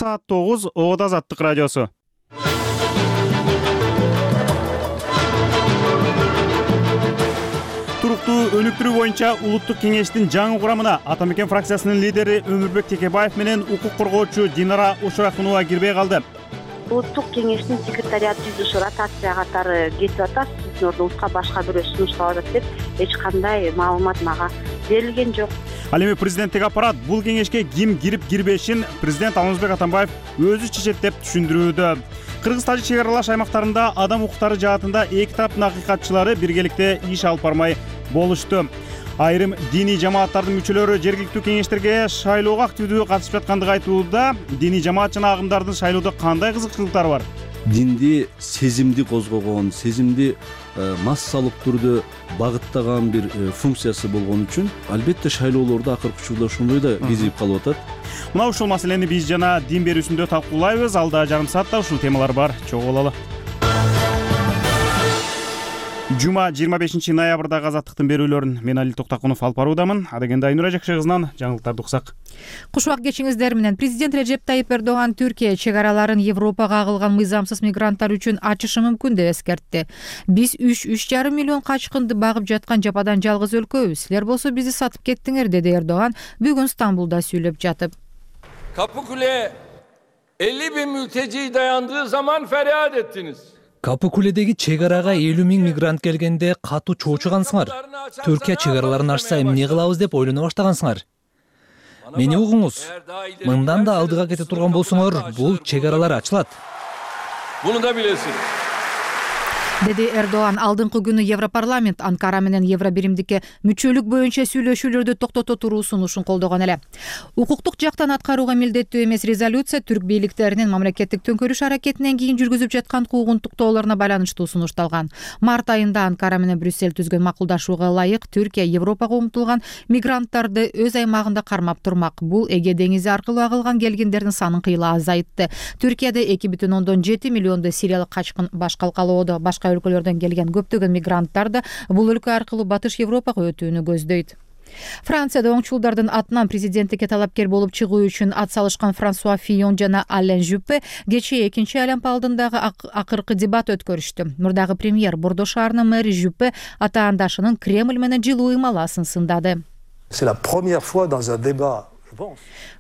Саат 9 Оот Азаттык радиосу. Туруктуу өнүктүрүү боюнча улуттук кеңештин жаңы курамына Ата Мекен фракциясынын лидери Өмүрбек Текебаев менен укук коргоочу Динара Ушурахунова кирбей калды. Улуттук кеңештин секретариат түзүш ротация катары кетип атат. Сиздин ордуңузга башка бирөө сунушталып атат деп эч кандай маалымат мага берилген жок. Ал эми президенттик аппарат бул кеңешке ким кирип кирбешин президент Алмазбек Атамбаев өзү чечет деп түшүндүрүүдө. Кыргыз-Тажик чек аралаш аймактарында адам укуктары жаатында эки тараптын акыйкатчылары биргеликте иш алып бармай болушту. Айрым диний жамааттардын мүчөлөрү жергиликтүү кеңештерге шайлоого активдүү катышып жаткандыгы айтылууда. Диний жамаат жана агымдардын шайлоодо кандай кызыкчылыктары бар? Динди сезимди козгогон, сезимди массалык түрдө багыттаган бир функциясы болгон үчүн албетте шайлоолордо акыркы учурда ошондой да кезип калып атат. Мына ушул маселени биз жана дин берүүсүндө талкуулайбыз. Алда жарым саатта ушул темалар бар. Чогуу бололу. Жума 25 ноябрдагы Азаттыктын берүүлөрүн мен Алил Токтакунов алып баруудамын. Адегенде Айнура Жакшы кызынан жаңылыктарды уксак. Кушубак кечиңиздер менен президент Режеп Тайип Эрдоган Түркия чек араларын Европага агылган мыйзамсыз мигранттар үчүн ачышы мүмкүн деп эскертти. Биз 3,5 миллион качкынды багып жаткан жападан жалгыз өлкөбүз. Силер болсо бизди сатып кеттиңер, деди Эрдоган бүгүн Стамбулда сүйлөп жатып. Kapıkule 50.000 mülteci dayandığı zaman feryat ettiniz. Капыкуледеги чек арага 50.000 мигрант келгенде катуу чоочугансыңар. Түркия чек араларын ачса эмне кылабыз деп ойлоно баштагансыңар. Мени угуңуз. Мындан да алдыга кете турган болсоңор, бул чек аралар ачылат. Bunu da bilesin. Деди Эрдоган алдыңкы күнү Европарламент Анкара менен Евробиримдикке мүчөлүк боюнча сүйлөшүүлөрдү токтото туруу сунушун колдогон эле. Укуктук жактан аткарууга милдеттүү эмес резолюция түрк бийликтеринин мамлекеттик төңкөрүш аракетинен кийин жүргүзүп жаткан куугунтуктоолоруна байланыштуу сунушталган. Март айында Анкара менен Брюссель түзгөн макулдашууга ылайык Түркия Европага умтулган мигранттарды өз аймагында кармап турмак. Бул Эге деңизи аркылуу агылган келгендердин санын кыйла азайтты. Түркияда 2,7 миллионду сириялык качкын баш калкалоодо. Башка өлкөлөрдөн келген көптөгөн мигранттар да бул өлкө аркылуу Батыш Европага өтүүнү көздөйт. Францияда оңчулдардын атынан президенттикке талапкер болуп чыгуу үчүн ат салышкан Франсуа Фийон жана Ален Жюпе кечээ экинчи айланма алдындагы акыркы дебат өткөрүштү. Мурдагы премьер Бордо шаарынын мэри Жюпе атаандашынын Кремль менен жылуу ыймаласын сындады.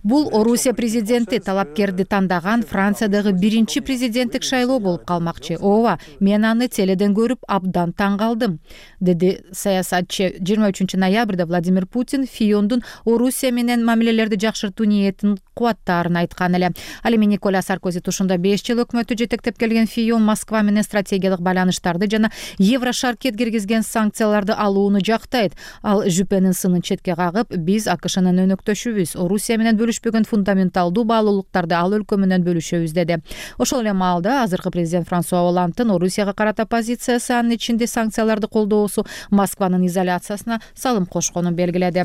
Бул Орусия президенти талапкерди тандаган Франциядагы биринчи президенттик шайлоо болуп калмакчы. Ооба, мен аны теледен көрүп абдан таң калдым, деди саясатчы. 23 ноябрда Владимир Путин Фиондун Орусия менен мамилелерди жакшыртуу ниетин кубаттаарын айткан эле. Ал эми Николя Саркози тушунда 5 жыл өкмөттү жетектеп келген Фион Москва менен стратегиялык байланыштарды жана Еврошаркет киргизген санкцияларды алууну жактайт. Ал Жюпенин сынын четке кагып, биз АКШнын өнөктөшүбүз, Орусия менен бөлүшпөгөн фундаменталдуу баалуулуктарды ал өлкө менен бөлүшөбүз, деди. Ошол эле маалда азыркы президент Франсуа Олландтын Орусияга карата позициясы, анын ичинде санкцияларды колдоосу Москванын изоляциясына салым кошконун белгиледи.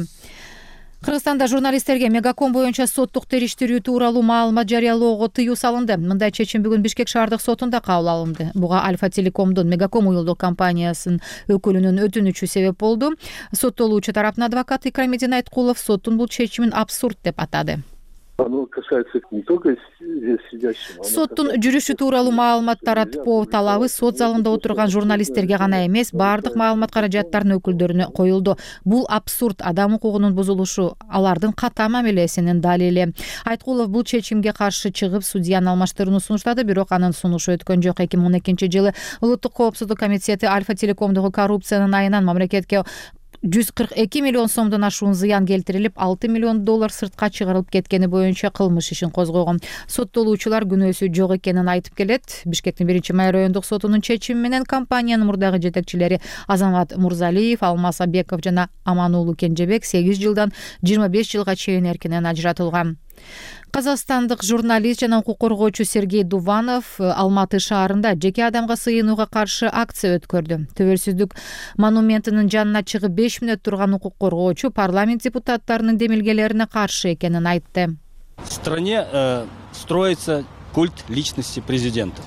Кыргызстанда журналисттерге Мегаком боюнча соттук териштирүү тууралуу маалымат жарыялоого тыюу салынды. Мындай чечим бүгүн Бишкек шаардык сотунда кабыл алынды. Буга Альфа Телекомдун Мегаком уюлдук компаниясынын өкүлүнүн өтүнүчү себеп болду. Соттолуучу тараптын адвокаты Икрамидин Айткулов соттун бул чечимин абсурд деп атады. Соттун жүрүшү тууралуу маалымат таратпоо талабы сот залында отурган журналисттерге гана эмес, баардык маалымат каражаттарынын өкүлдөрүнө коюлду. Бул абсурд, адам укугунун бузулушу, алардын ката мамилесинин далили. Айткулов бул чечимге каршы чыгып, судьяны алмаштырууну сунуштады, бирок анын сунушу өткөн жок. 2012 жылы Улуттук коопсуздук комитети Альфа Телекомдогу коррупциянын айынан мамлекетке 142 миллион сомдон ашуун зыян келтирилип, 6 миллион доллар сыртка чыгарылып кеткени боюнча кылмыш ишин козгогон. Соттолуучулар күнөөсү жок экенин айтып келет. Бишкектин 1-май райондук сотунун чечими менен компаниянын мурдагы жетекчилери Азамат Мурзалиев, Алмаз Абеков жана Амануулу Кенжебек 8 жылдан 25 жылга чейин эркинен ажыратылган. Казакстандык журналист жана укук коргоочу Сергей Дуванов Алматы шаарында жеке адамга сыйынууга каршы акция өткөрдү. Төбөлсүздүк монументинин жанына чыгып 5 мүнөт турган укук коргоочу парламент депутаттарынын демилгелерине каршы экенин айтты. В стране строится культ личности президента.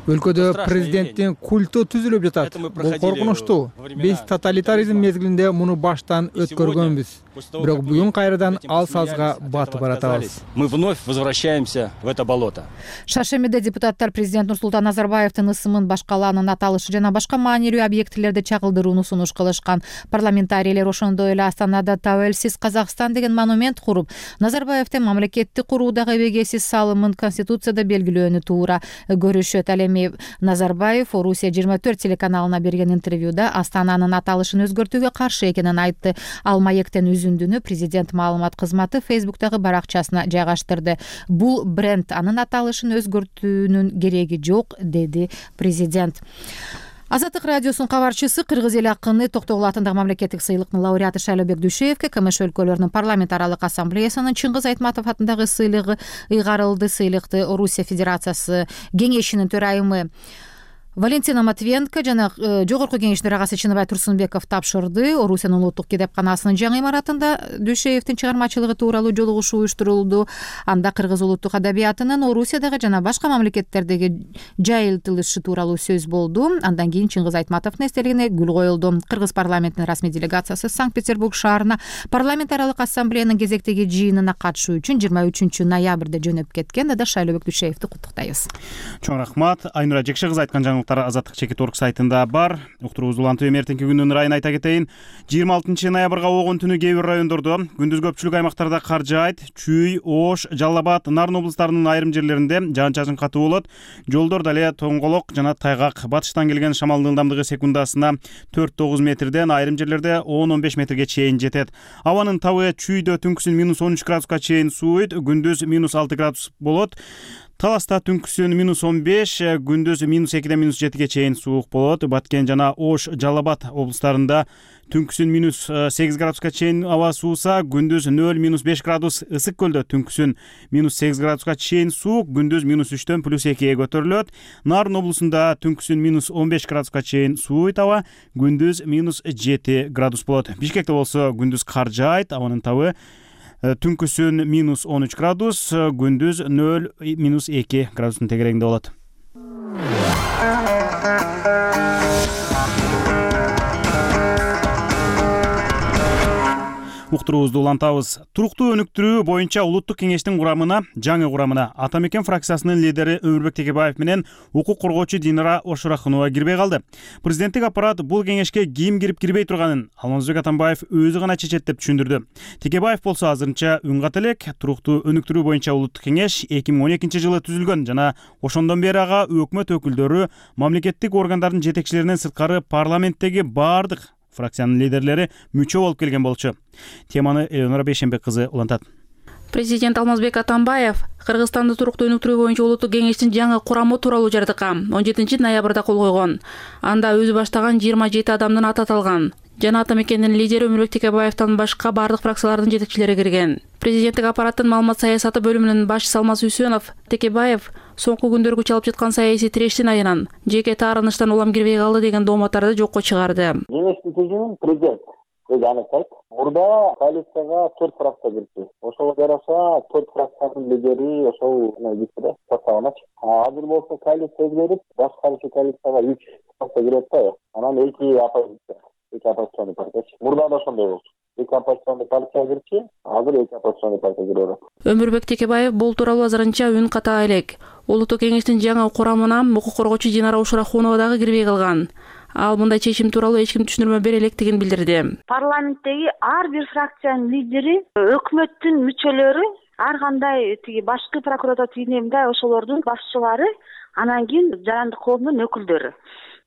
Өлкөдө президенттин культу түзүлүп жатат. Бул коркунучтуу. Биз тоталитаризм мезгилинде муну баштан өткөргөнбүз. Бирок бүгүн кайрадан ал сазга батып баратабыз. Мы вновь возвращаемся в это болото. Шаршемиде депутаттар президент Нурсултан Назарбаевдин ысымын башкалаанын аталышы жана башка маанилүү объектилерди чагылдырууну сунуш кылышкан. Парламентарийлер ошондой эле Астанада Табелсиз Казакстан деген монумент куруп, Назарбаевдин мамлекетти куруудагы эбегейсиз салымын Конституцияда белгилөөнү туура көрүшөт. Ал эми Назарбаев Орусия 24 телеканалына берген интервьюда Астананын аталышын өзгөртүүгө каршы экенин айтты. Ал маектен үзүндүнү президент маалымат кызматы Facebook'тагы баракчасына жайгаштырды. Бул бренд, анын аталышын өзгөртүүнүн кереги жок, деди президент. Азаттык радиосунун кабарчысы кыргыз эл акыны Токтогул атындагы мамлекеттик сыйлыктын лауреаты Шайлообек Дүйшеевке КМШ өлкөлөрүнүн парламент аралык ассамблеясынын Чыңгыз Айтматов атындагы сыйлыгы ыйгарылды. Сыйлыкты Орусия Федерациясы кеңешинин төрайымы Валентина Матвиенко жана жогорку кеңештин төрагасы Чыныбай Турсунбеков тапшырды. Орусиянын улуттук китепканасынын жаңы имаратында Дүйшеевдин чыгармачылыгы тууралуу жолугушуу уюштурулду. Анда кыргыз улуттук адабиятынын Орусиядагы жана башка мамлекеттердеги жайылтылышы тууралуу сөз болду. Андан кийин Чыңгыз Айтматовдун эстелигине гүл коюлду. Кыргыз парламентинин расмий делегациясы Санкт-Петербург шаарына парламент аралык ассамблеянын кезектеги жыйынына катышуу үчүн 23 ноябрда жөнөп кеткен. Да Шайлообек Дүйшеевди куттуктайбыз. Чоң рахмат. Айнура Жекше кызы айткан Азаттык чекит.орг сайтында бар. Уктуруубузду улантып эртеңки күндүн ырайын айта кетейин. 26 ноябрга огон түнү кээ бир райондордо, күндүз көпчүлүк аймактарда кар жаайт. Чүй, Ош, Жалал Абад, Нарын облустарынын айрым жерлеринде жаан-чачын катуу болот. Жолдордо эле тоңголок жана тайгак. Батыштан келген шамалдын ылдамдыгы секундасына 4-9 метрден, айрым жерлерде 10-15 метрге чейин жетет. Абанын табы Чүйдө түнкүсүн -13 градуска чейин сууйт, күндүз -6 градус болот. Таласта түнкүсүн -15, күндүз -2-ден -7ге чейин суук болот. Баткен жана Ош, Жалал Абад облустарында түнкүсүн -8 градуска чейин аба сууса, күндүз 0-5 градус. Ысык көлдө түнкүсүн -8 градуска чейин суук, күндүз -3дөн +2ге көтөрүлөт. Нарын облусунда түнкүсүн -15 градуска чейин сууйт аба, күндүз -7 градус болот. Бишкекте болсо күндүз кар жаайт, абанын табы түнкүсүн -13 градус, күндүз 0-2 градустун тегерегинде болот. Уктуруубузду улантабыз. Туруктуу өнүктүрүү боюнча улуттук кеңештин жаңы курамына Ата мекен фракциясынын лидери Өмүрбек Текебаев менен укук коргоочу Динара Ошурахунова кирбей калды. Президенттик аппарат бул кеңешке ким кирип кирбей турганын Алмазбек Атамбаев өзү гана чечет деп түшүндүрдү. Текебаев болсо азырынча үн ката элек. Туруктуу өнүктүрүү боюнча улуттук кеңеш 2012 жылы түзүлгөн жана ошондон бери ага өкмөт өкүлдөрү, мамлекеттик органдардын жетекчилеринен сырткары парламенттеги баардык фракциянын лидерлери мүчө болуп келген болчу. Теманы Элеонора Бейшембек кызы улантат. Президент Алмазбек Атамбаев Кыргызстанды туруктуу өнүктүрүү боюнча улуттук кеңештин жаңы курамы тууралуу жардыкка 17 ноябрда кол койгон. Анда өзү баштаган 27 адамдын аты аталган. Жана Ата мекендин лидери Өмүрбек Текебаевден башка бардык фракциялардын жетекчилери кирген. Президенттик аппараттын маалымат саясаты бөлүмүнүн башчысы Алмаз Үсөнов Текебаев соңку күндөргү чалып жаткан саясий тирештин айынан жеке таарыныштан улам кирбей калды деген дооматтарды жокко чыгарды. Кеңештин түзүүнүн президент өзү аныктайт. Мурда коалицияга 4 фракция кирди. Ошого жараша 4 фракциянын лидери ошол кирди составыначы. Азыр болсо коалиция өзгөрүп, башкаруучу коалицияга 3 фракция кирет да. Анан 2 оппозиционный партия. Мурда да ошондой болчу. 2 оппозиционный партия кирчи, азыр 2 оппозиционный партия кирет. Өмүрбек Текебаев бул тууралуу азырынча үн ката элек. Улуттук кеңештин жаңы курамына укук коргоочу Динара Ошурахунова дагы кирбей калган. Ал мындай чечим тууралуу эч ким түшүндүрмө бере электигин билдирди. Парламенттеги ар бир фракциянын лидери, өкмөттүн мүчөлөрү, ар кандай башкы прокуратура тигинемде ошолордун башчылары, анан кийин жарандык коомдун өкүлдөрү.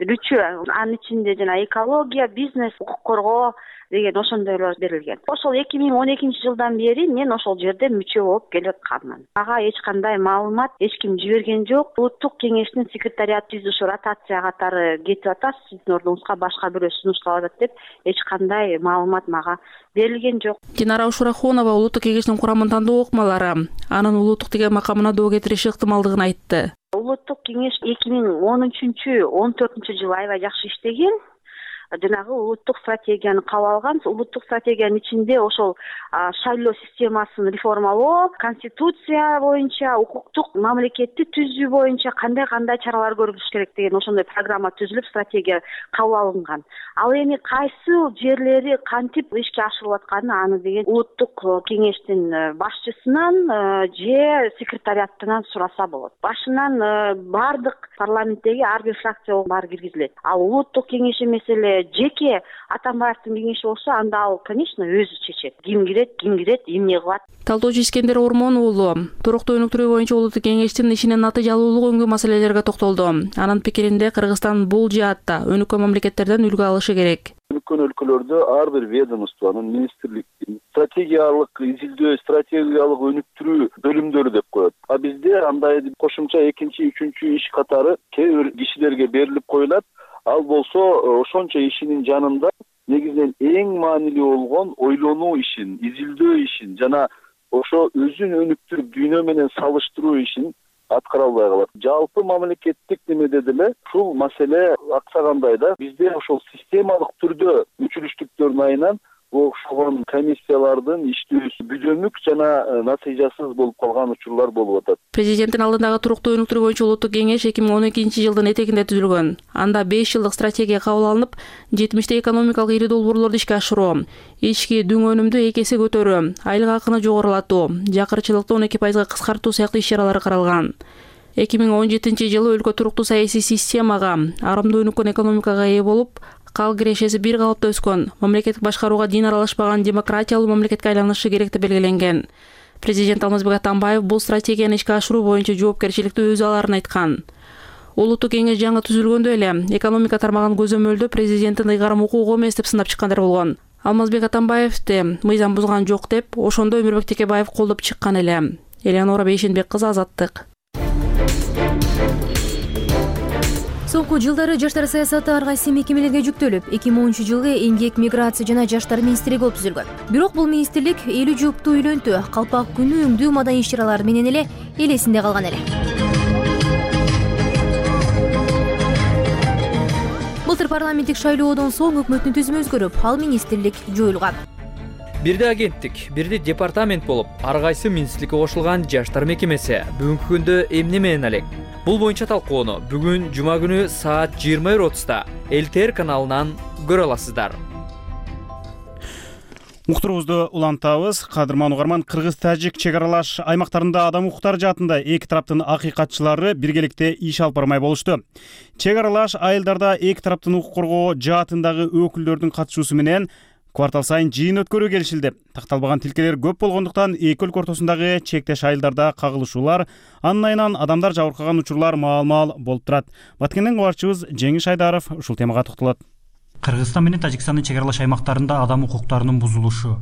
Үчөө, анын ичинде жана экология, бизнес, укук коргоо деген ошондойлор берилген. Ошол 2012 жылдан бери мен ошол жерде мүчө болуп келип атканмын. Ага эч кандай маалымат эч ким жиберген жок. Улуттук кеңештин секретариат түзүшү ротация катары кетип атат, сиздин ордуңузга башка бирөө сунушталып атат деп эч кандай маалымат мага берилген жок. Динара Ошурахунова улуттук кеңештин курамын тандоо ыкмалары, анын улуттук деген макамына доо кетириши ыктымалдыгын айтты. Улуттук кеңеш 2013-14 жылы аябай жакшы иштеген. жанагы улуттук стратегияны кабыл алган. Улуттук стратегиянын ичинде ошол шайлоо системасын реформалоо, конституция боюнча укуктук мамлекетти түзүү боюнча кандай чаралар көрүлүш керек деген ошондой программа түзүлүп, стратегия кабыл алынган. Ал эми кайсы жерлери кантип ишке ашырылып атканы аны деген улуттук кеңештин башчысынан же секретариаттан сураса болот. Башынан бардык парламенттеги ар бир фракция баары киргизилет. Ал улуттук кеңеш эмес эле жеке Атамбаевдин кеңеши болсо, анда ал, конечно, өзү чечет. Ким кирет, эмне кылат. Талдоочу Искендер Ормон уулу туруктуу өнүктүрүү боюнча улуттук кеңештин ишинин натыйжалуулугу өңгө маселелерге токтолду. Анын пикиринде Кыргызстан бул жаатта өнүккөн мамлекеттерден үлгү алышы керек. Өнүккөн өлкөлөрдө ар бир ведомствонун, министрликтин стратегиялык изилдөө, стратегиялык өнүктүрүү бөлүмдөрү деп коет. А бизде андай кошумча экинчи, үчүнчү иш катары кээ бир кишилерге берилип коюлат. Ал болсо ошончо ишинин жанында негизинен эң маанилүү болгон ойлонуу ишин, изилдөө ишин жана ошо өзүн өнүктүрүп дүйнө менен салыштыруу ишин аткара албай калат. Жалпы мамлекеттик немеде деле ушул маселе аксагандай да. Бизде ошол системалык түрдө мүчүлүштүктөрдүн айынан окшогон комиссиялардын иштөөсү бүдөмүк жана натыйжасыз болуп калган учурлар болуп атат. Президенттин алдындагы туруктуу өнүктүрүү боюнча улуттук кеңеш 2012-жылдын этегинде түзүлгөн. Анда 5 жылдык стратегия кабыл алынып, 70 экономикалык ири долбоорлорду ишке ашыруу, ички дүң өнүмдү 2 эсе көтөрүү, айлык акыны жогорулатуу, жакырчылыкты 12% кыскартуу сыяктуу иш-чаралар каралган. 2017-жылы өлкө туруктуу саясий системага, арымдуу өнүккөн экономикага ээ болуп, кал кирешеси бир калыпта өскөн, мамлекеттик башкарууга дин аралашпаган демократиялуу мамлекетке айланышы керек деп белгиленген. Президент Алмазбек Атамбаев бул стратегияны ишке ашыруу боюнча жоопкерчиликти өзү аларын айткан. Улуттук кеңеш жаңы түзүлгөндө эле экономика тармагын көзөмөлдөө президенттин ыйгарым укугу эмес деп сындап чыккандар болгон. Алмазбек Атамбаевди мыйзам бузган жок деп ошондо Өмүрбек Текебаев колдоп чыккан эле. Элеонора Бейшенбек кызы, Азаттык. Соңку жылдары жаштар саясаты ар кайсы мекемелерге жүктөлүп, 2010-жылы Эмгек, миграция жана жаштар министрлиги болуп түзүлгөн. Бирок бул министрлик элүү жуптуу үйлөнтү, калпак күнү өңдүү маданий иш-чаралары менен эле элесинде калган эле. Былтыр парламенттик шайлоодон соң өкмөттүн түзүмү өзгөрүп, ал министрлик жоюлган. Бирде агенттик, бирде департамент болуп, ар кайсы министрликке кошулган жаштар мекемеси бүгүнкү күндө эмне менен алек? Бул боюнча талкууну бүгүн жума күнү саат 20:30 ЛТР каналынан көрө аласыздар. Уктуруубузду улантабыз. Кадырман угарман, кыргыз-тажик чек аралаш аймактарында адам укуктары жаатында эки тараптын акыйкатчылары биргеликте иш алып бармай болушту. Чек аралаш айылдарда эки тараптын укук коргоо жаатындагы өкүлдөрдүн катышуусу менен квартал сайын жыйын өткөрүү келишилди. Такталбаган тилкелер көп болгондуктан эки өлкө ортосундагы чектеш айылдарда кагылышуулар, анын айынан адамдар жабыркаган учурлар маал-маал болуп турат. Баткенден кабарчыбыз Жеңиш Айдаров ушул темага токтолот. Кыргызстан менен Тажикстандын чек аралаш аймактарында адам укуктарынын бузулушу,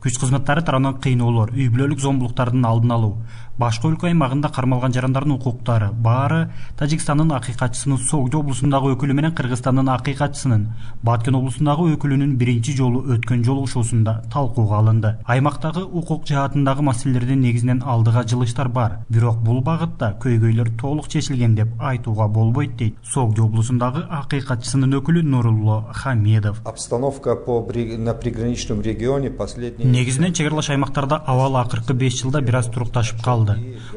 күч кызматтары тарабынан кыйноолор, үй бүлөлүк зомбулуктардын алдын алуу, башка өлкө аймагында кармалган жарандардын укуктары баары Тажикстандын акыйкатчысынын Согдо облусундагы өкүлү менен Кыргызстандын акыйкатчысынын Баткен облусундагы өкүлүнүн биринчи жолу өткөн жолугушуусунда талкууга алынды. Аймактагы укук жаатындагы маселелердин негизинен алдыга жылыштар бар, бирок бул багытта көйгөйлөр толук чечилген деп айтууга болбойт дейт Согдо облусундагы акыйкатчысынын өкүлү Нурулло Хамедов. Обстановка на приграничном регионе последние негизинен чек аралаш аймактарда абал акыркы 5 жылда бир аз турукташып калды.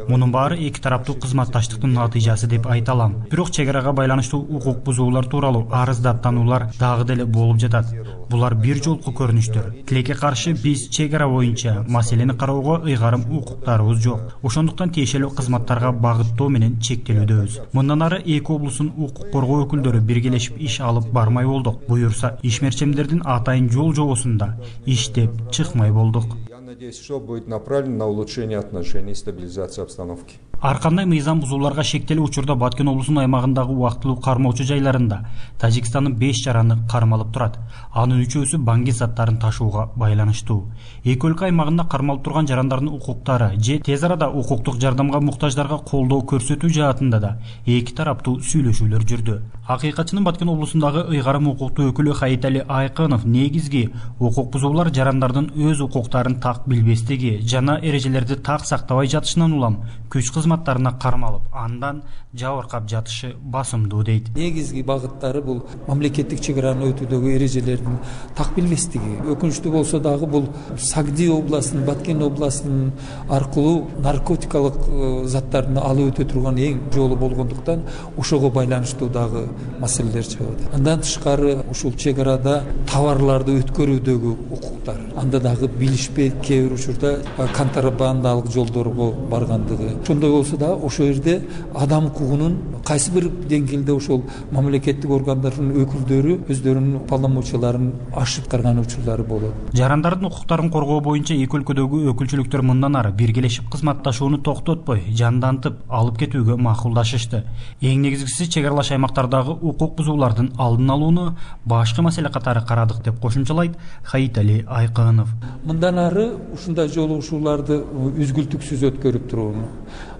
Мунун баары эки тараптуу кызматташтыктын натыйжасы деп айта алам. Бирок чек арага байланыштуу укук бузуулар тууралуу арыздаттануулар дагы деле болуп жатат. Булар бир жолку көрүнүштөр. Тилекке каршы биз чек ара боюнча маселени кароого ыйгарым укуктарыбыз жок. Ошондуктан тиешелүү кызматтарга багыттоо менен чектелүүдөбүз. Мындан ары эки облустун укук коргоо өкүлдөрү биргелешип иш алып бармай болдук. Буюрса ишмерчемдердин атайын жол жобосунда иштеп чыкмай болдук. Надеюсь, что будет направлено на улучшение отношений и стабилизацию обстановки. Ар кандай мыйзам бузууларга шектелүү учурда Баткен облусунун аймагындагы убактылуу кармоочу жайларында Тажикстандын 5 жараны кармалып турат. Анын 3-өсү баңги заттарын ташууга байланыштуу. Эки өлкө аймагында кармалып турган жарандардын укуктары же тез арада укуктук жардамга муктаждарга колдоо көрсөтүү жаатында да эки тараптуу сүйлөшүүлөр жүрдү. Акыйкатчынын Баткен облусундагы ыйгарым укуктуу өкүлү Хаитали Айкынов негизги укук бузуулар жарандардын өз укуктарын так билбестиги жана эрежелерди так сактабай жатышынан улам күч кызматтарына кармалып, андан жабыркап жатышы басымдуу дейт. Негизги багыттары бул мамлекеттик чек араны өтүүдөгү эрежелердин так билбестиги. Өкүнүчтүү болсо дагы бул Сагди областынын, Баткен областынын аркылуу наркотикалык заттарды алып өтө турган эң жолу болгондуктан ошого байланыштуу дагы маселелер чыгат. Андан тышкары ушул чек арада товарларды өткөрүүдөгү укуктар, анда дагы билишпей кээ бир учурда контрабандалык жолдорго баргандыгы. Ошондой болсо да ошол жерде адам укугунун кайсы бир деңгээлде ошол мамлекеттик органдардын өкүлдөрү өздөрүнүн уполномочияларын ашып карган учурлары болот. Жарандардын укуктарын коргоо боюнча эки өлкөдөгү өкүлчүлүктөр мындан ары биргелешип кызматташууну токтотпой, жандантып алып кетүүгө макулдашышты. Эң негизгиси чек аралаш аймактардагы укук бузуулардын алдын алууну башкы маселе катары карадык деп кошумчалайт Хаитали Айкынов. Мындан ары ушундай жолугушууларды үзгүлтүксүз өткөрүп турууну.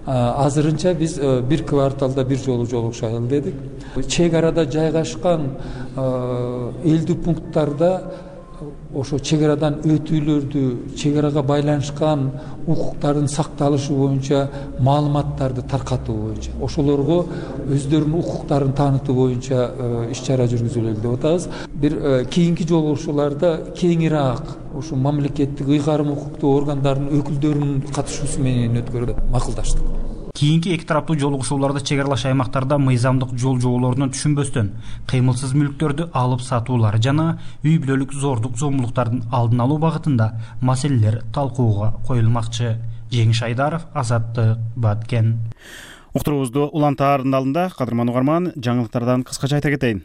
Азырынча биз бир кварталда бир жолу жолугушайлы дедик. Чек арада жайгашкан элдүү пункттарда ошо чек арадан өтүүлөрдү, чек арага байланышкан укуктардын сакталышы боюнча маалыматтарды таркатуу боюнча, ошолорго өздөрүнүн укуктарын таанытуу боюнча иш чара жүргүзөлү деп атабыз. Бир кийинки жолугушууларда кеңираак ушу мамлекеттик ыйгарым укуктуу органдардын өкүлдөрүнүн катышуусу менен өткөрүүгө макулдаштык. Кийинки эки тараптуу жолугушууларда чек аралаш аймактарда мыйзамдык жол жоболорунан түшүнбөстөн кыймылсыз мүлктөрдү алып сатуулар жана үй бүлөлүк зордук зомбулуктардын алдын алуу багытында маселелер талкууга коюлмакчы. Жеңиш Айдаров, Азаттык, Баткен. Уктуруубузду улантаардын алдында кадырман угарман жаңылыктардан кыскача айта кетейин.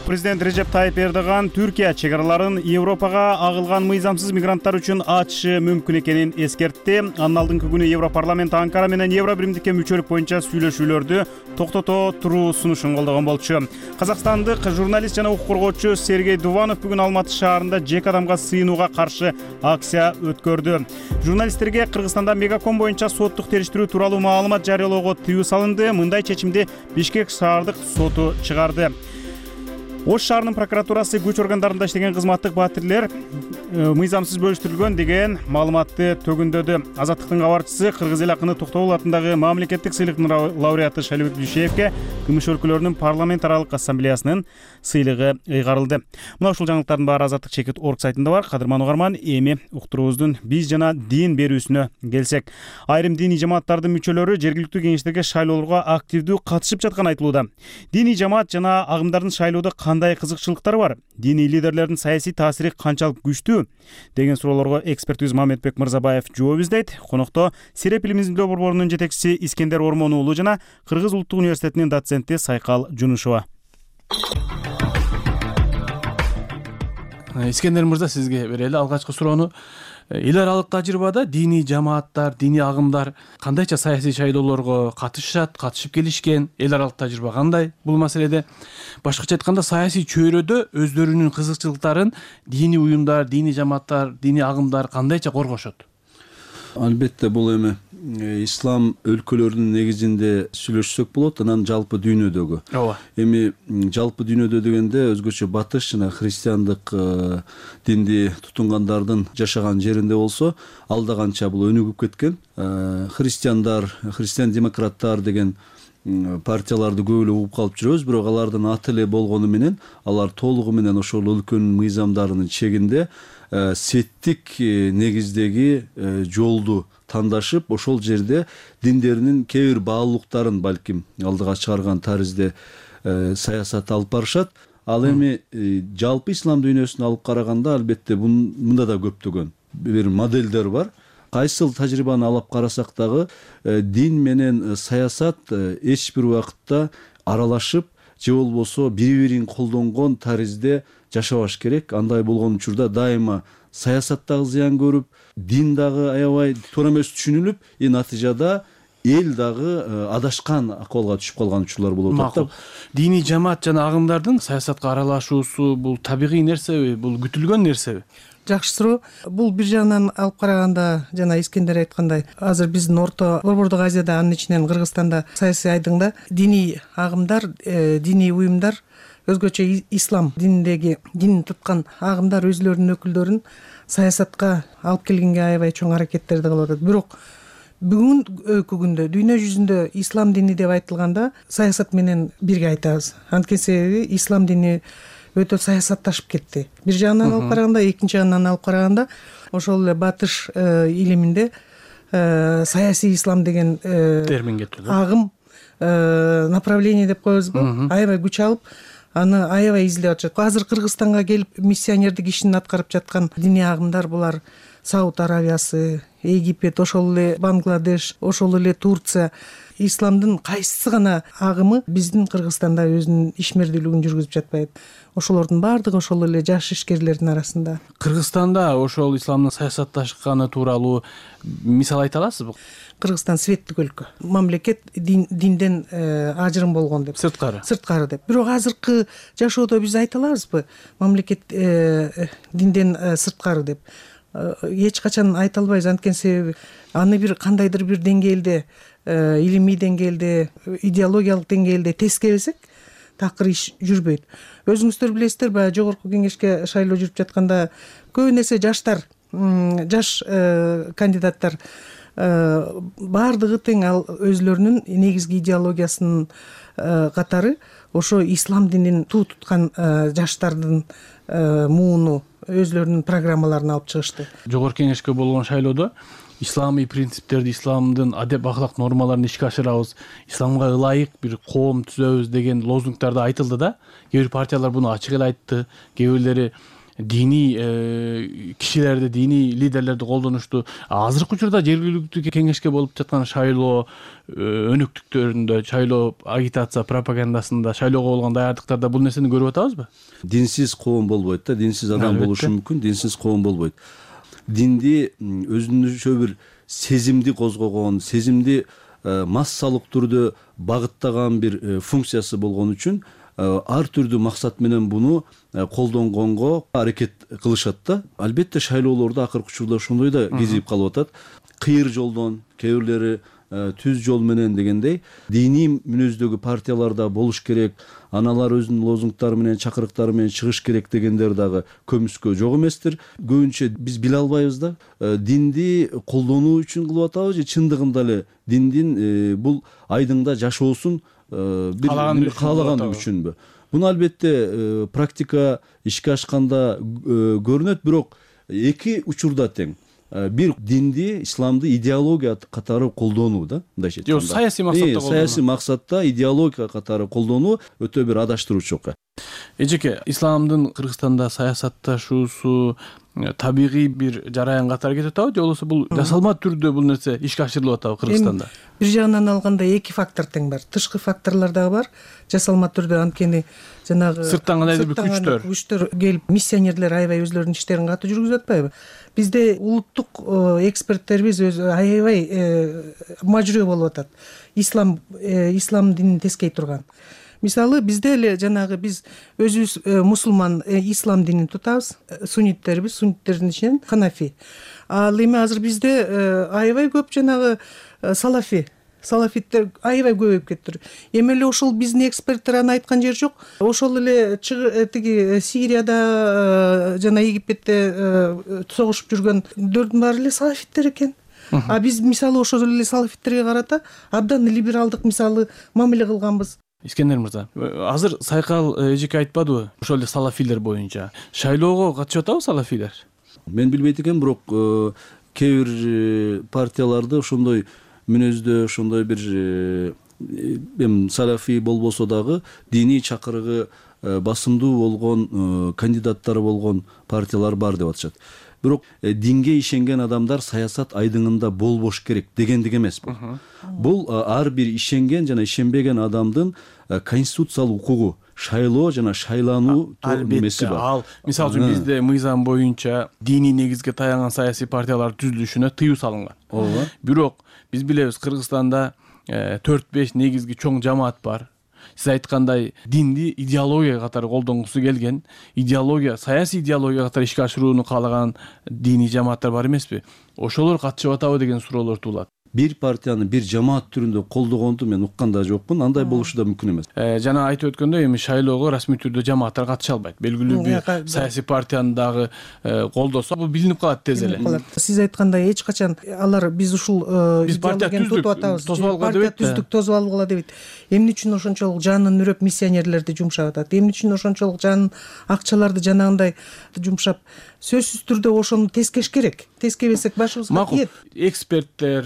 Президент Режеп Тайип Эрдоган Түркия чек араларын Европага агылган мыйзамсыз мигранттар үчүн ачышы мүмкүн экенин эскертти. Анын алдыңкы күнү Европарламент Анкара менен Евробиримдикке мүчөлүк боюнча сүйлөшүүлөрдү токтото туруу сунушун колдогон болчу. Казакстандык журналист жана укук коргоочу Сергей Дуванов бүгүн Алматы шаарында жеке адамга сыйынууга каршы акция өткөрдү. Журналисттерге Кыргызстанда мегаком боюнча соттук териштирүү тууралуу маалымат жарыялоого тыюу салынды. Мындай чечимди Бишкек шаардык соту чыгарды. Ош шаарынын прокуратурасы күч органдарында иштеген кызматтык баатирлер мыйзамсыз бөлүштүрүлгөн деген маалыматты төгүндөдү. Азаттыктын кабарчысы Кыргыз эл акыны Токтогул атындагы мамлекеттик сыйлыктын лауреаты Шалибек Дүйшеевке Кымыш өлкөлөрүнүн парламент аралык ассамблеясынын сыйлыгы ыйгарылды. Мына ушул жаңылыктардын баары Азаттык чекит орг сайтында бар. Кадырман угарман, эми уктуруубуздун биз жана дин берүүсүнө келсек. Айрым диний жамааттардын мүчөлөрү жергиликтүү кеңештерге шайлоолорго активдүү катышып жатканы айтылууда. Диний жамаат жана агымдардын шайлоодо кандай кызыкчылыктары бар? Диний лидерлердин саясий таасири канчалык күчтүү деген суроолорго экспертибиз Мамедбек Мырзабаев жооп издейт. Конокто Сереп илим изилдөө борборунун жетекчиси Искендер Ормон уулу жана Кыргыз улуттук университетинин доценти Сайкал Жунушова. Искендер мырза, сизге берели. Алгачкы суроону, эл аралык тажрыйбада диний жамааттар, диний агымдар кандайча саясий шайлоолорго катышып келишкен? Эл аралык тажрыйба кандай бул маселеде? Башкача айтканда, саясий чөйрөдө өздөрүнүн кызыкчылыктарын диний уюмдар, диний жамааттар, диний агымдар кандайча коргошот? Албетте бул эми ислам өлкөлөрүнүн негизинде сүйлөшсөк болот, анан жалпы дүйнөдөгү. Ооба. Эми жалпы дүйнөдө дегенде өзгөчө батыш жана христиандык динди тутунгандардын жашаган жеринде болсо, алда канча бул өнүгүп кеткен. Христиандар, христиан демократтар деген партияларды көп эле угуп калып жүрөбүз, бирок алардын аты эле болгону менен алар толугу менен ошол өлкөнүн мыйзамдарынын чегинде сеттик негиздеги жолду тандашып, ошол жерде диндеринин кээ бир баалуулуктарын балким алдыга чыгарган таризде саясат алып барышат. Ал эми жалпы ислам дүйнөсүнө алып караганда албетте мында да көптөгөн бир моделдер бар. Кайсыл тажрыйбаны алып карасак дагы дин менен саясат эч бир убакытта аралашып же болбосо бири-бирин колдонгон таризде жашабаш керек. Андай болгон учурда дайыма саясат дагы зыян көрүп, дин дагы аябай туура эмес түшүнүлүп, натыйжада эл дагы адашкан акыбалга түшүп калган учурлар болуп атат. Диний жамаат жана агымдардын саясатка аралашуусу бул табигый нерсеби, бул күтүлгөн нерсеби? Жакшы суроо. Бул бир жагынан алып караганда, жана Искендер айткандай, азыр биздин Орто Борбордук Азияда, анын ичинен Кыргызстанда саясий айдыңда диний агымдар, диний уюмдар өзгөчө ислам динин туткан агымдар өзлөрүнүн өкүлдөрүн саясатка алып келгенге аябай чоң аракеттерди кылып атат. Бирок бүгүнкү күндө дүйнө жүзүндө ислам дини деп айтылганда саясат менен бирге айтабыз. Анткени себеби ислам дини өтө саясатташып кетти. Бир жагынан алып караганда, экинчи жагынан алып караганда ошол эле батыш илиминде саясий ислам деген термин кетти. Агым, направление деп коебузбу, аябай күч алып, аны аябай издеп атышат. Азыр Кыргызстанга келип миссионердик ишин аткарып жаткан диний агымдар булар Сауд Аравиясы, Египет, ошол эле Бангладеш, ошол эле Турция. Исламдын кайсы гана агымы биздин Кыргызстанда өзүнүн ишмердүүлүгүн жүргүзүп жатпайт. Ошолордун баардыгы ошол эле жаш ишкерлердин арасында. Кыргызстанда ошол исламдын саясатташканы тууралуу мисал айта аласызбы? Кыргызстан светтик өлкө. Мамлекет динден ажырым болгон деп. Сырткары деп. Бирок азыркы жашоодо биз айта алабызбы? Мамлекет динден сырткары деп. Эч качан айта албайбыз. Анткени себеби аны бир кандайдыр бир деңгээлде, илимий деңгээлде, идеологиялык деңгээлде тескересек, такыр иш жүрбөйт. Өзүңүздөр билесиздер, баягы жогорку кеңешке шайлоо жүрүп жатканда көп нерсе жаш кандидаттар баардыгы тең ал өзлөрүнүн негизги идеологиясынын катары ошо ислам динин туу туткан жаштардын мууну өзлөрүнүн программаларын алып чыгышты. Жогорку кеңешке болгон шайлоодо исламий принциптерди, исламдын адеп ахлак нормаларын ишке ашырабыз, исламга ылайык бир коом түзөбүз деген лозунгдарды айтылды да. Кээ бир партиялар буну ачык эле айтты, кээ бирлери диний кишилерди, диний лидерлерди колдонушту. Азыркы учурда жергиликтүү кеңешке болуп жаткан шайлоо өнөктүктөрүндө, шайлоо агитация пропагандасында, шайлоого болгон даярдыктарда бул нерсени көрүп атабызбы? Динсиз коом болбойт да, динсиз адам болушу мүмкүн, динсиз коом болбойт. Динди өзүнчө бир сезимди козгогон, сезимди массалык түрдө багыттаган бир функциясы болгон үчүн ар түрдүү максат менен буну колдонгонго аракет кылышат да. Албетте шайлоолордо акыркы учурда ошондой да кезип калып атат. Кыйыр жолдон, кээ бирлери түз жол менен дегендей диний мүнөздөгү партияларда болуш керек, аналар өзүнүн лозунгдары менен, чакырыктары менен чыгыш керек дегендер дагы көбүскө жок эместир. Көбүнчө биз биле албайбыз да, динди колдонуу үчүн кылып атабыз же чындыгында эле диндин бул айдыңда жашоосун каалаган үчүнбү? Буну албетте практика ишке ашканда көрүнөт, бирок эки учурда тең. Бир динди, исламды идеология катары колдонуу да, мындайча айтканда. Саясий максатта колдонуу. Саясий максатта идеология катары колдонуу өтө бир адаштыруучу окуя. Эжеке, исламдын Кыргызстанда саясатташуусу табигый бир жараян катары кетип атабы, же болбосо бул жасалма түрдө бул нерсе ишке ашырылып атабы Кыргызстанда? Бир жагынан алганда эки фактор тең бар. Тышкы факторлор дагы бар. Жасалма түрдө, анткени жанагы сырттан кандайдыр бир күчтөр келип, миссионерлер аябай өзлөрүнүн иштерин катуу жүргүзүп атпайбы? Бизде улуттук эксперттерибиз өзү аябай мажрөө болуп атат. Ислам динин тескей турган. Мисалы, bizde эле жанагы биз өзүбүз мусулман ислам динин тутабыз, сунниттербиз, сунниттердин ичинен ханафи. Ал эми азыр бизде аябай көп жанагы салафиттер аябай көбөйүп кеттир. Эми эле ошол биздин эксперттер аны айткан жери жок. Ошол эле тиги Сирияда жана Египетте согушуп жүргөндөрдүн баары эле салафиттер экен. А биз мисалы ошол эле салафиттерге карата абдан либералдык мисалы мамиле кылганбыз. Искендер мырза, азыр Сайкал эжеке айтпадыбы, ошол эле салафилер боюнча шайлоого катышып атабы салафилер? Мен билбейт экенмин, бирок кээ бир партияларды ошондой мүнөздө, ошондой бир салафи болбосо дагы диний чакырыгы басымдуу болгон кандидаттары болгон партиялар бар деп атышат. Бирок динге ишенген адамдар саясат айдыңында болбош керек дегендик эмес бул. Бул ар бир ишенген жана ишенбеген адамдын конституциялык укугу, шайлоо жана шайлануу немеси бар. Ал мисалы үчүн бизде мыйзам боюнча диний негизге таянган саясий партиялар түзүлүшүнө тыюу салынган. Бирок биз билебиз, Кыргызстанда 4-5 негизги чоң жамаат бар. Сиз айткандай динди идеология катары колдонгусу келген, идеология, саясий идеология катары ишке ашырууну каалаган диний жамааттар бар эмеспи? Ошолор катышып атабы деген суроолор туулат. бир партияны бир жамаат түрүндө колдогонду мен уккан да жокмун. Андай болушу да мүмкүн эмес. Жана айтып өткөндөй, эми шайлоого расмий түрдө жамааттар катыша албайт. Белгилүү бир саясий партияны дагы колдосо, бул билинип калат тез эле. Сиз айткандай эч качан алар биз ушул биз партия түздүк, партия түздүк, тосуп алгыла дебейт. Эмне үчүн ошончолук жанын үрөп миссионерлерди жумшап атат? Эмне үчүн ошончолук жанын акчаларды жанагындай жумшап? Сөзсүз түрдө ошону тескеш керек. Тескебесек башыбызга тиет. Эксперттер,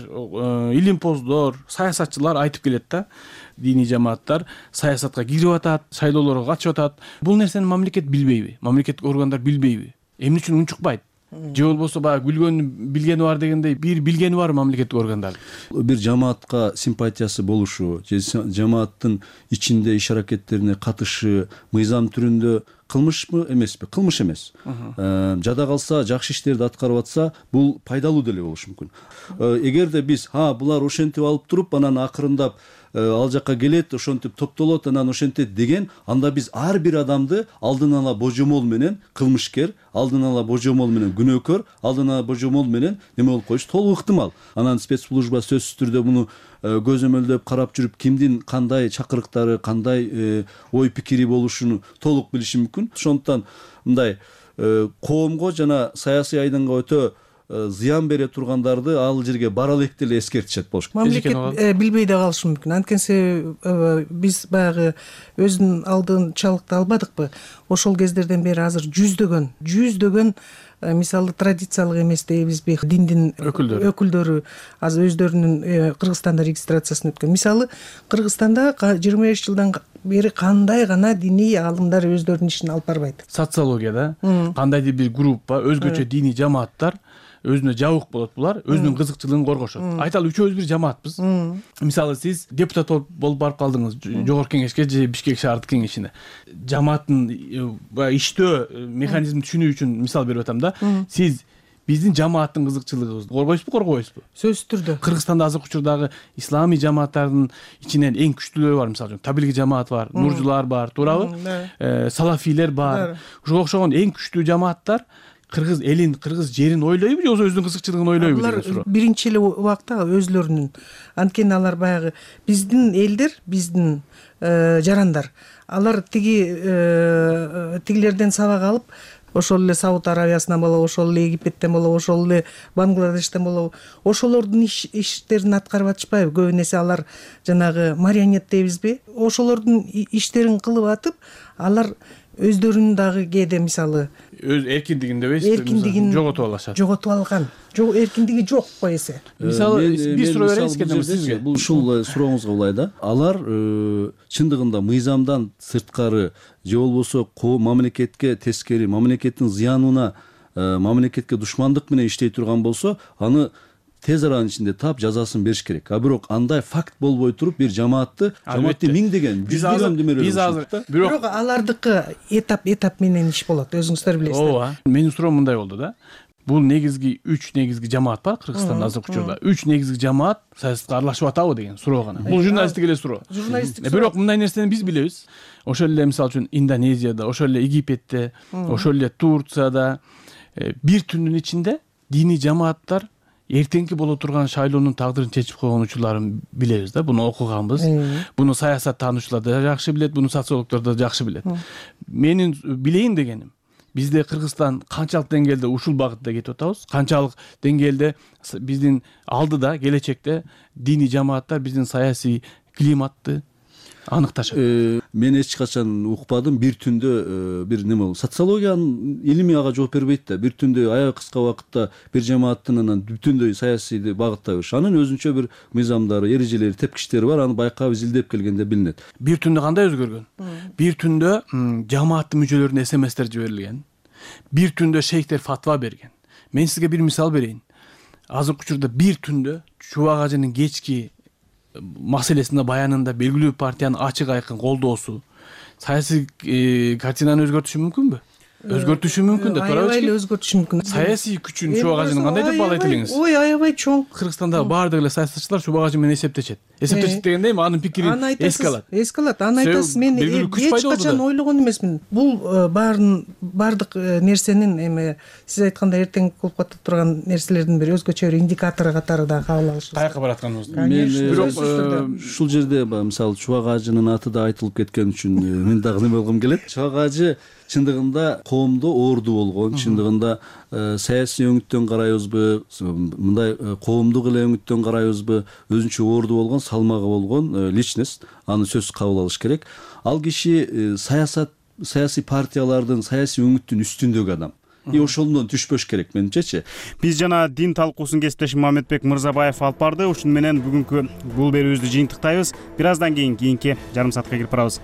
илимпоздор, саясатчылар айтып келет да. Диний жамааттар саясатка кирип атат, шайлоолорго катышып атат. Бул нерсени мамлекет билбейби? Мамлекеттик органдар билбейби? Эмне үчүн унчукпайт? Же болбосо баягы күлгөнү билгени бар дегендей, бир билгени бар мамлекеттик органдар. Бир жамаатка симпатиясы болушу, же жамааттын ичинде иш аракеттерине катышы мыйзам түрүндө кылмышпы эмеспи? Кылмыш эмес. Жада калса, жакшы иштерди аткарып атса, бул пайдалуу деле болушу мүмкүн. Эгерде биз булар ошентип алып туруп, анан акырындап ал жакка келет, ошентип топтолот, анан ошентет деген, анда биз ар бир адамды алдын ала божомол менен кылмышкер, алдын ала божомол менен күнөөкөр, алдын ала божомол менен неме болуп коюшу толук ыктымал. Анан спецслужба сөзсүз түрдө муну көзөмөлдөп карап жүрүп, кимдин кандай чакырыктары, кандай ой пикири болушун толук билиши мүмкүн. Ошондуктан мындай коомго жана саясий айдынга өтө зыян бере тургандарды ал жерге бара элек деле эскертишет болуш керек. Мамлекет билбей да калышы мүмкүн. Анткенсе биз баягы өзүнүн алдынчалыкты албадыкпы? Ошол кездерден бери азыр жүздөгөн мисалы традициялык эмес дейбизби, диндин өкүлдөрү азыр өздөрүнүн Кыргызстанда регистрациясын өткөн. Мисалы Кыргызстанда 25 жылдан бери кандай гана диний аалымдар өздөрүнүн ишин алып барбайт. Социологияда кандайдыр бир группа, өзгөчө диний жамааттар өзүнө жабык болот, булар өзүнүн кызыкчылыгын коргошот. Айталы үчөөбүз бир жамаатпыз. Мисалы сиз депутат болуп барып калдыңыз жогорку кеңешке же Бишкек шаардык кеңешине. Жамааттын иштөө механизмин түшүнүү үчүн мисал берип атам да. Сиз биздин жамааттын кызыкчылыгыбызды коргойсузбу, коргобойсузбу? Сөзсүз түрдө. Кыргызстанда азыркы учурдагы исламий жамааттардын ичинен эң күчтүүлөрү бар, мисалы үчүн Табилги жамаат бар, Нуржулар бар, туурабы? Салафилер бар. Ушуга окшогон эң күчтүү жамааттар кыргыз элин, кыргыз жерин ойлойбу же өзүнүн кызыкчылыгын ойлойбу деген суроо. Алар биринчи эле убакта өзлөрүнүн, анткени алар баягы биздин элдер, биздин жарандар, алар тигилерден сабак алып, ошол эле Сауд Аравиясынан болобу, ошол эле Египеттен болобу, ошол эле Бангладештен болобу, ошолордун иштерин аткарып атышпайбы? Көбү нерсе алар жанагы марионет дейбизби? Ошолордун иштерин кылып атып, алар өздөрүнүн дагы кээде мисалы өз эркиндигин дебейсизби, жоготуп алышат. Жоготуп алган. Эркиндиги жок го эсе. Мисалы бир суроо беребиз сизге. Бул ушул сурооңузга булай да. Алар чындыгында мыйзамдан сырткары же болбосо мамлекетке тескери, мамлекеттин зыянына, мамлекетке душмандык менен иштей турган болсо, аны тез аранын ичинде тап жазасын бериш керек. Бирок андай факт болбой туруп бир жамаатты миңдеген, жүздөгөн демелер. Бирок алардыкы этап менен иш болот, өзүңүздөр билесиздер. Ооба. Менин суроом мындай болду да. Бул негизги 3 негизги жамаат бар Кыргызстанда азыркы учурда. 3 негизги жамаат саясатка аралашып атабы деген суроо гана. Бул журналисттик эле суроо. Бирок мындай нерсени биз билебиз. Ошол эле мисалы үчүн Индонезияда, ошол эле Египетте, ошол эле Турцияда бир түндүн ичинде диний жамааттар эртеңки боло турган шайлоонун тагдырын чечип койгон учурларын билебиз да. Буну окуганбыз. Буну саясат таануучулар да жакшы билет, буну социологдор да жакшы билет. Менин билейин дегеним, бизде Кыргызстан канчалык деңгээлде ушул багытта кетип атабыз? Канчалык деңгээлде биздин алдыда, келечекте диний жамааттар биздин саясий климатты аныкташат? Мен эч качан укпадым. Бир түндө бир неме болду. Социологиянын илими ага жооп бербейт да. Бир түндө аябай кыска убакытта бир жамааттын анан бүтүндөй саясийди багыттай бериш. Анын өзүнчө бир мыйзамдары, эрежелери, тепкичтери бар. Аны байкап изилдеп келгенде билинет. Бир түндө кандай өзгөргөн? Бир түндө жамааттын мүчөлөрүнө СМСтер жиберилген. Бир түндө шейхтер фатва берген. Мен сизге бир мисал берейин. Азыркы учурда бир түндө Чубак ажынын кечки маселесинде баянында белгилүү партиянын ачык айкын колдоосу саясий картинаны өзгөртүшү мүмкүнбү? өзгөртүшү мүмкүн деп турабыз. Аябай эле өзгөртүшү мүмкүн. Саясий күчүн чубак ажынын кандай деп баалайт элеңиз? Ой, аябай чоң. Кыргызстандагы баардык эле саясатчылар чубак ажы менен эсептешет. Эсептешет дегенде эми анын пикирин эске алат. Эске алат. Аны айтасыз, мен эч качан ойлогон эмесмин. Бул баардык нерсенин эми сиз айткандай эртең болуп ката турган нерселердин бир өзгөчө бир индикатору катары да кабыл алышыбыз. Каяка баратканыбызды. Мен ушул жерде мисалы чубак ажынын аты да айтылып кеткен үчүн мен дагы неме болгум келет. Чубак ажы чындыгында коомдо орду болгон, чындыгында саясий өңүттөн карайбызбы, мындай коомдук эле өңүттөн карайбызбы, өзүнчө орду болгон, салмагы болгон личность, аны сөзсүз кабыл алыш керек. Ал киши саясий партиялардын, саясий өңүттүн үстүндөгү адам. Ошондон түшпөш керек менимчечи. Биз жана дин талкуусун кесиптешим Мамедбек Мырзабаев алып барды. Ушуну менен бүгүнкү бул берүүбүздү жыйынтыктайбыз. Бир аздан кийин кийинки жарым саатка кирип барабыз.